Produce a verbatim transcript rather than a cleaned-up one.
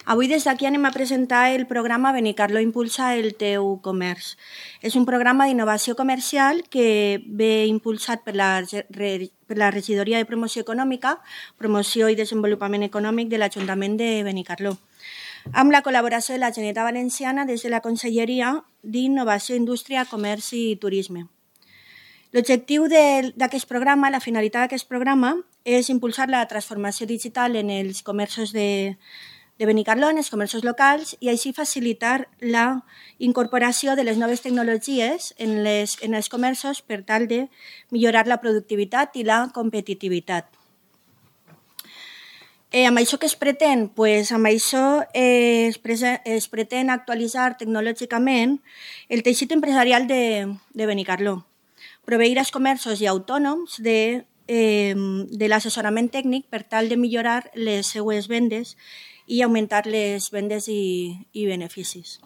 Avui des d'aquí anem a presentar el programa Benicarló Impulsa el teu comerç. És un programa d'innovació comercial que ve impulsat per la, per la Regidoria de Promoció Econòmica, Promoció i Desenvolupament Econòmic de l'Ajuntament de Benicarló, amb la col·laboració de la Generalitat Valenciana des de la Conselleria d'Innovació, Indústria, Comerç i Turisme. L'objectiu d'aquest programa, la finalitat d'aquest programa, és impulsar la transformació digital en els comerços de, de Benicarló, en els comerços locals, i així facilitar la incorporació de les noves tecnologies en, les, en els comerços per tal de millorar la productivitat i la competitivitat. Eh, amb això que es pretén? Pues amb això eh, es, es pretén actualitzar tecnològicament el teixit empresarial de, de Benicarló, proveir els comerços i autònoms de, eh, de l'assessorament tècnic per tal de millorar les seues vendes i augmentar les vendes i, i beneficis.